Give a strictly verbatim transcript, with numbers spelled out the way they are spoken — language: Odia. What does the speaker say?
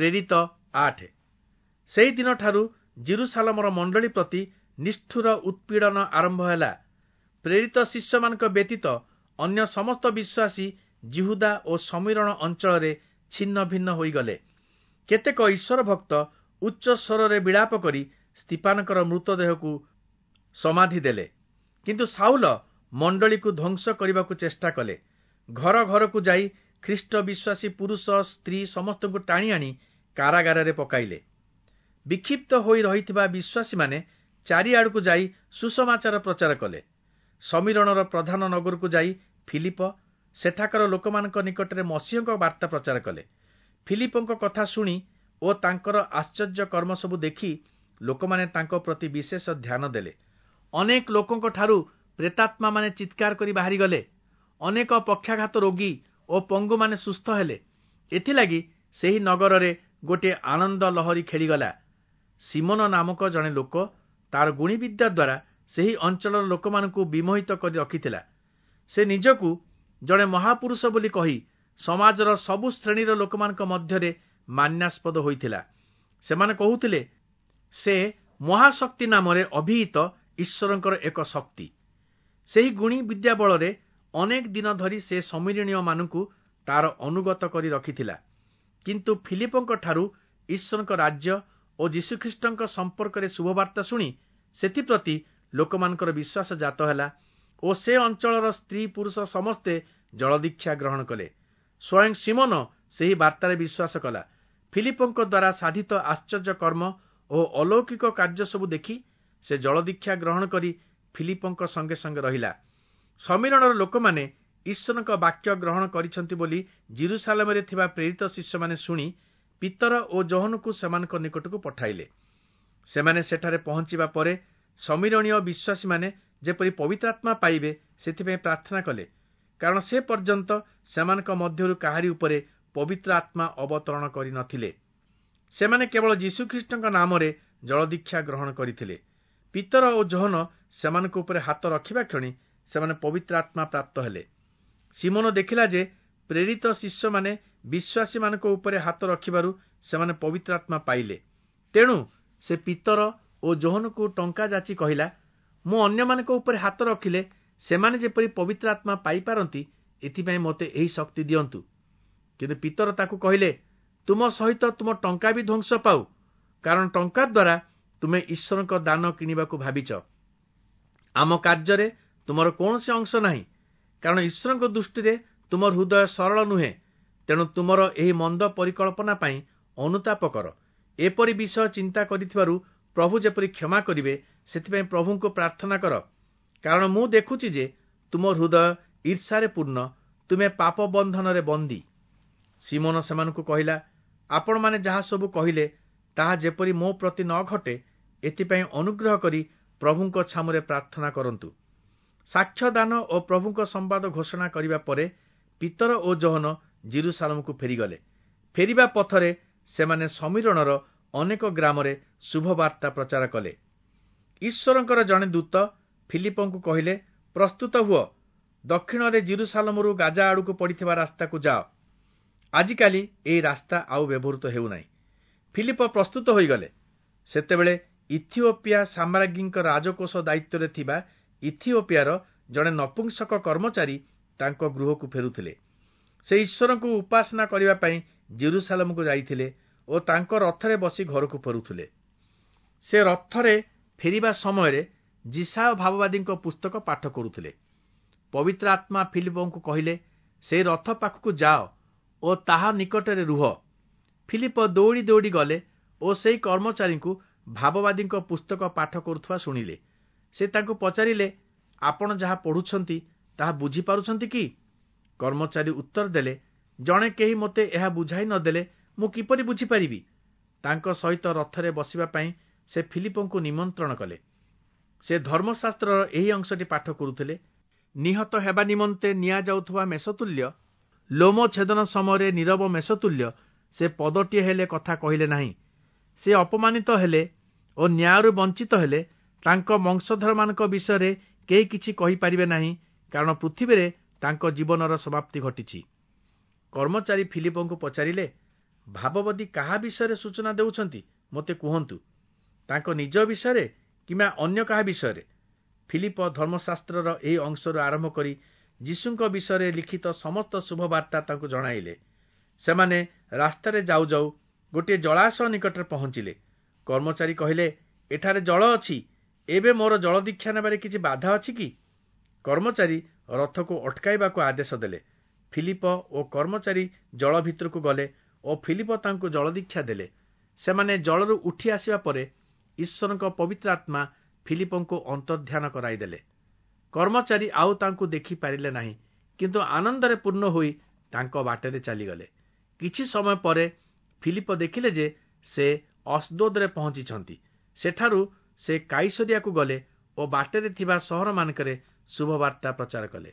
ପ୍ରେରିତ ଆଠ। ସେହିଦିନଠାରୁ ଯିରୂଶାଲମର ମଣ୍ଡଳୀ ପ୍ରତି ନିଷ୍ଠୁର ଉତ୍ପୀଡ଼ନ ଆରମ୍ଭ ହେଲା। ପ୍ରେରିତ ଶିଷ୍ୟମାନଙ୍କ ବ୍ୟତୀତ ଅନ୍ୟ ସମସ୍ତ ବିଶ୍ୱାସୀ ଯିହୁଦା ଓ ଶମିରୋଣ ଅଞ୍ଚଳରେ ଛିନ୍ନ ଭିନ୍ନ ହୋଇଗଲେ। କେତେକ ଈଶ୍ୱର ଭକ୍ତ ଉଚ୍ଚ ସ୍ୱରରେ ବିଳାପ କରି ସ୍ତିଫାନଙ୍କର ମୃତଦେହକୁ ସମାଧି ଦେଲେ। କିନ୍ତୁ ଶାଉଲ ମଣ୍ଡଳୀକୁ ଧ୍ୱଂସ କରିବାକୁ ଚେଷ୍ଟା କଲେ। ଘର ଘରକୁ ଯାଇ ଖ୍ରୀଷ୍ଟ ବିଶ୍ୱାସୀ ପୁରୁଷ ସ୍ତ୍ରୀ ସମସ୍ତଙ୍କୁ ଟାଣି ଆଣି କାରାଗାରରେ ପକାଇଲେ। ବିକ୍ଷିପ୍ତ ହୋଇ ରହିଥିବା ବିଶ୍ୱାସୀମାନେ ଚାରିଆଡ଼କୁ ଯାଇ ସୁସମାଚାର ପ୍ରଚାର କଲେ। ଶମିରୋଣର ପ୍ରଧାନ ନଗରକୁ ଯାଇ ଫିଲିପ ସେଠାକାର ଲୋକମାନଙ୍କ ନିକଟରେ ମସିହଙ୍କ ବାର୍ତ୍ତା ପ୍ରଚାର କଲେ। ଫିଲିପଙ୍କ କଥା ଶୁଣି ଓ ତାଙ୍କର ଆଶ୍ଚର୍ଯ୍ୟ କର୍ମ ସବୁ ଦେଖି ଲୋକମାନେ ତାଙ୍କ ପ୍ରତି ବିଶେଷ ଧ୍ୟାନ ଦେଲେ। ଅନେକ ଲୋକଙ୍କଠାରୁ ପ୍ରେତାତ୍ମାମାନେ ଚିତ୍କାର କରି ବାହାରିଗଲେ। ଅନେକ ପକ୍ଷାଘାତ ରୋଗୀ ଓ ପଙ୍ଗୁମାନେ ସୁସ୍ଥ ହେଲେ। ଏଥିଲାଗି ସେହି ନଗରରେ ଗୋଟିଏ ଆନନ୍ଦ ଲହରୀ ଖେଳିଗଲା। ସିମୋନ ନାମକ ଜଣେ ଲୋକ ତାର ଗୁଣିବିଦ୍ୟା ଦ୍ୱାରା ସେହି ଅଞ୍ଚଳର ଲୋକମାନଙ୍କୁ ବିମୋହିତ କରି ରଖିଥିଲା। ସେ ନିଜକୁ ଜଣେ ମହାପୁରୁଷ ବୋଲି କହି ସମାଜର ସବୁ ଶ୍ରେଣୀର ଲୋକମାନଙ୍କ ମଧ୍ୟରେ ମାନ୍ୟାସ୍ପଦ ହୋଇଥିଲା। ସେମାନେ କହୁଥିଲେ, ସେ ମହାଶକ୍ତି ନାମରେ ଅଭିହିତ ଈଶ୍ୱରଙ୍କର ଏକ ଶକ୍ତି। ସେହି ଗୁଣି ବିଦ୍ୟା ବଳରେ ଅନେକ ଦିନ ଧରି ସେ ଶମିରୋଣୀୟମାନଙ୍କୁ ତାର ଅନୁଗତ କରି ରଖିଥିଲା। କିନ୍ତୁ ଫିଲିପଙ୍କ ଠାରୁ ଈଶ୍ୱରଙ୍କ ରାଜ୍ୟ ଓ ଯୀଶୁଖ୍ରୀଷ୍ଟଙ୍କ ସମ୍ପର୍କରେ ଶୁଭବାର୍ତ୍ତା ଶୁଣି ସେଥିପ୍ରତି ଲୋକମାନଙ୍କର ବିଶ୍ୱାସ ଜାତ ହେଲା ଓ ସେ ଅଞ୍ଚଳର ସ୍ତ୍ରୀ ପୁରୁଷ ସମସ୍ତେ ଜଳଦୀକ୍ଷା ଗ୍ରହଣ କଲେ। ସ୍ୱୟଂ ସିମୋନ ସେହି ବାର୍ତ୍ତାରେ ବିଶ୍ୱାସ କଲା। ଫିଲିପଙ୍କ ଦ୍ୱାରା ସାଧିତ ଆଶ୍ଚର୍ଯ୍ୟ କର୍ମ ଓ ଅଲୌକିକ କାର୍ଯ୍ୟ ସବୁ ଦେଖି ସେ ଜଳଦୀକ୍ଷା ଗ୍ରହଣ କରି ଫିଲିପଙ୍କ ସଙ୍ଗେ ସଙ୍ଗେ ରହିଲା। ଶମିରୋଣର ଲୋକମାନେ ଈଶ୍ୱରଙ୍କ ବାକ୍ୟ ଗ୍ରହଣ କରିଛନ୍ତି ବୋଲି ଯିରୂଶାଲମରେ ଥିବା ପ୍ରେରିତ ଶିଷ୍ୟମାନେ ଶୁଣି ପିତର ଓ ଯୋହନଙ୍କୁ ସେମାନଙ୍କ ନିକଟକୁ ପଠାଇଲେ। ସେମାନେ ସେଠାରେ ପହଞ୍ଚିବା ପରେ ଶମିରୋଣୀୟ ବିଶ୍ୱାସୀମାନେ ଯେପରି ପବିତ୍ରାତ୍ମା ପାଇବେ ସେଥିପାଇଁ ପ୍ରାର୍ଥନା କଲେ, କାରଣ ସେ ପର୍ଯ୍ୟନ୍ତ ସେମାନଙ୍କ ମଧ୍ୟରୁ କାହାରି ଉପରେ ପବିତ୍ର ଆତ୍ମା ଅବତରଣ କରିନଥିଲେ। ସେମାନେ କେବଳ ଯୀଶୁଖ୍ରୀଷ୍ଟଙ୍କ ନାମରେ ଜଳଦୀକ୍ଷା ଗ୍ରହଣ କରିଥିଲେ। ପିତର ଓ ଯୋହନ ସେମାନଙ୍କ ଉପରେ ହାତ ରଖିବା କ୍ଷଣି ସେମାନେ ପବିତ୍ର ଆତ୍ମା ପ୍ରାପ୍ତ ହେଲେ। ସିମୋନ ଦେଖିଲା ଯେ ପ୍ରେରିତ ଶିଷ୍ୟମାନେ ବିଶ୍ୱାସୀମାନଙ୍କ ଉପରେ ହାତ ରଖିବାରୁ ସେମାନେ ପବିତ୍ର ଆତ୍ମା ପାଇଲେ। ତେଣୁ ସେ ପିତର ଓ ଯୋହନକୁ ଟଙ୍କା ଯାଚି କହିଲା, ମୁଁ ଅନ୍ୟମାନଙ୍କ ଉପରେ ହାତ ରଖିଲେ ସେମାନେ ଯେପରି ପବିତ୍ର ଆତ୍ମା ପାଇପାରନ୍ତି ଏଥିପାଇଁ ମୋତେ ଏହି ଶକ୍ତି ଦିଅନ୍ତୁ। କିନ୍ତୁ ପିତର ତାକୁ କହିଲେ, ତୁମ ସହିତ ତୁମ ଟଙ୍କା ବି ଧ୍ୱଂସ ପାଉ, କାରଣ ଟଙ୍କା ଦ୍ୱାରା ତୁମେ ଈଶ୍ୱରଙ୍କ ଦାନ କିଣିବାକୁ ଭାବିଛ। ଆମ କାର୍ଯ୍ୟରେ ତୁମର କୌଣସି ଅଂଶ ନାହିଁ, କାରଣ ଈଶ୍ୱରଙ୍କ ଦୃଷ୍ଟିରେ ତୁମ ହୃଦୟ ସରଳ ନୁହେଁ। ତେଣୁ ତୁମର ଏହି ମନ୍ଦ ପରିକଳ୍ପନା ପାଇଁ ଅନୁତାପ କର। ଏପରି ବିଷୟ ଚିନ୍ତା କରିଥିବାରୁ ପ୍ରଭୁ ଯେପରି କ୍ଷମା କରିବେ ସେଥିପାଇଁ ପ୍ରଭୁଙ୍କୁ ପ୍ରାର୍ଥନା କର, କାରଣ ମୁଁ ଦେଖୁଛି ଯେ ତୁମ ହୃଦୟ ଈର୍ଷାରେ ପୂର୍ଣ୍ଣ, ତୁମେ ପାପ ବନ୍ଧନରେ ବନ୍ଦୀ। ସିମୋନ ସେମାନଙ୍କୁ କହିଲା, ଆପଣମାନେ ଯାହା ସବୁ କହିଲେ ତାହା ଯେପରି ମୋ ପ୍ରତି ନ ଘଟେ ଏଥିପାଇଁ ଅନୁଗ୍ରହ କରି ପ୍ରଭୁଙ୍କ ଛାମୁରେ ପ୍ରାର୍ଥନା କରନ୍ତୁ। ସାକ୍ଷ୍ୟଦାନ ଓ ପ୍ରଭୁଙ୍କ ସମ୍ବାଦ ଘୋଷଣା କରିବା ପରେ ପିତର ଓ ଯୋହନ ଯିରୂଶାଲମକୁ ଫେରିଗଲେ। ଫେରିବା ପଥରେ ସେମାନେ ଶମିରୋଣର ଅନେକ ଗ୍ରାମରେ ଶୁଭବାର୍ତ୍ତା ପ୍ରଚାର କଲେ। ଈଶ୍ୱରଙ୍କର ଜଣେ ଦୂତ ଫିଲିପଙ୍କୁ କହିଲେ, ପ୍ରସ୍ତୁତ ହୁଅ, ଦକ୍ଷିଣରେ ଯିରୂଶାଲମରୁ ଗାଜା ଆଡ଼କୁ ପଡ଼ିଥିବା ରାସ୍ତାକୁ ଯାଅ। ଆଜିକାଲି ଏହି ରାସ୍ତା ଆଉ ବ୍ୟବହୃତ ହେଉନାହିଁ। ଫିଲିପ ପ୍ରସ୍ତୁତ ହୋଇଗଲେ। ସେତେବେଳେ ଇଥିଓପିଆ ସାମ୍ରାଜ୍ଞୀଙ୍କ ରାଜକୋଷ ଦାୟିତ୍ୱରେ ଥିବା ଇଥିଓପିଆର ଜଣେ ନପୁଂସକ କର୍ମଚାରୀ ତାଙ୍କ ଗୃହକୁ ଫେରୁଥିଲେ। ସେ ଈଶ୍ୱରଙ୍କୁ ଉପାସନା କରିବା ପାଇଁ ଯିରୂଶାଲମକୁ ଯାଇଥିଲେ ଓ ତାଙ୍କ ରଥରେ ବସି ଘରକୁ ଫେରୁଥିଲେ। ସେ ରଥରେ ଫେରିବା ସମୟରେ ଯିଶାଇୟ ଭାବବାଦୀଙ୍କ ପୁସ୍ତକ ପାଠ କରୁଥିଲେ। ପବିତ୍ର ଆତ୍ମା ଫିଲିପଙ୍କୁ କହିଲେ, ସେହି ରଥ ପାଖକୁ ଯାଅ ଓ ତାହା ନିକଟରେ ରୁହ। ଫିଲିପ ଦୌଡ଼ି ଦୌଡ଼ି ଗଲେ ଓ ସେହି କର୍ମଚାରୀଙ୍କୁ ଭାବବାଦୀଙ୍କ ପୁସ୍ତକ ପାଠ କରୁଥିବା ଶୁଣିଲେ। ସେ ତାଙ୍କୁ ପଚାରିଲେ, ଆପଣ ଯାହା ପଢ଼ୁଛନ୍ତି ତାହା ବୁଝିପାରୁଛନ୍ତି କି? କର୍ମଚାରୀ ଉତ୍ତର ଦେଲେ, ଜଣେ କେହି ମୋତେ ଏହା ବୁଝାଇ ନଦେଲେ ମୁଁ କିପରି ବୁଝିପାରିବି? ତାଙ୍କ ସହିତ ରଥରେ ବସିବା ପାଇଁ ସେ ଫିଲିପଙ୍କୁ ନିମନ୍ତ୍ରଣ କଲେ। ସେ ଧର୍ମଶାସ୍ତ୍ରର ଏହି ଅଂଶଟି ପାଠ କରୁଥିଲେ, ନିହତ ହେବା ନିମନ୍ତେ ନିଆଯାଉଥିବା ମେଷତୁଲ୍ୟ, ଲୋମ ଛେଦନ ସମୟରେ ନୀରବ ମେଷତୁଲ୍ୟ ସେ ପଦଟିଏ ହେଲେ କଥା କହିଲେ ନାହିଁ। ସେ ଅପମାନିତ ହେଲେ ଓ ନ୍ୟାୟରୁ ବଞ୍ଚିତ ହେଲେ। ତାଙ୍କ ବଂଶଧରମାନଙ୍କ ବିଷୟରେ କେହି କିଛି କହିପାରିବେ ନାହିଁ, କାରଣ ପୃଥିବୀରେ ତାଙ୍କ ଜୀବନର ସମାପ୍ତି ଘଟିଛି। କର୍ମଚାରୀ ଫିଲିପଙ୍କୁ ପଚାରିଲେ, ଭାବବାଦୀ କାହା ବିଷୟରେ ସୂଚନା ଦେଉଛନ୍ତି ମୋତେ କୁହନ୍ତୁ, ତାଙ୍କ ନିଜ ବିଷୟରେ କିମ୍ବା ଅନ୍ୟ କାହା ବିଷୟରେ? ଫିଲିପ ଧର୍ମଶାସ୍ତ୍ରର ଏହି ଅଂଶରୁ ଆରମ୍ଭ କରି ଯୀଶୁଙ୍କ ବିଷୟରେ ଲିଖିତ ସମସ୍ତ ଶୁଭବାର୍ତ୍ତା ତାଙ୍କୁ ଜଣାଇଲେ। ସେମାନେ ରାସ୍ତାରେ ଯାଉ ଯାଉ ଗୋଟିଏ ଜଳାଶୟ ନିକଟରେ ପହଞ୍ଚିଲେ। କର୍ମଚାରୀ କହିଲେ, ଏଠାରେ ଜଳ ଅଛି, ଏବେ ମୋର ଜଳ ଦୀକ୍ଷା ନେବାରେ କିଛି ବାଧା ଅଛି କି? କର୍ମଚାରୀ ରଥକୁ ଅଟକାଇବାକୁ ଆଦେଶ ଦେଲେ। ଫିଲିପ ଓ କର୍ମଚାରୀ ଜଳ ଭିତରକୁ ଗଲେ ଓ ଫିଲିପ ତାଙ୍କୁ ଜଳଦୀକ୍ଷା ଦେଲେ। ସେମାନେ ଜଳରୁ ଉଠି ଆସିବା ପରେ ଈଶ୍ୱରଙ୍କ ପବିତ୍ର ଆତ୍ମା ଫିଲିପଙ୍କୁ ଅନ୍ତର୍ଧ୍ୟାନ କରାଇଦେଲେ। କର୍ମଚାରୀ ଆଉ ତାଙ୍କୁ ଦେଖିପାରିଲେ ନାହିଁ, କିନ୍ତୁ ଆନନ୍ଦରେ ପୂର୍ଣ୍ଣ ହୋଇ ତାଙ୍କ ବାଟରେ ଚାଲିଗଲେ। କିଛି ସମୟ ପରେ ଫିଲିପ ଦେଖିଲେ ଯେ ସେ ଅସ୍ଦୋଦରେ ପହଞ୍ଚିଛନ୍ତି। ସେଠାରୁ ସେ କାଇସରିଆକୁ ଗଲେ ଓ ବାଟରେ ଥିବା ସହରମାନଙ୍କରେ ଶୁଭବାର୍ତ୍ତା ପ୍ରଚାର କଲେ।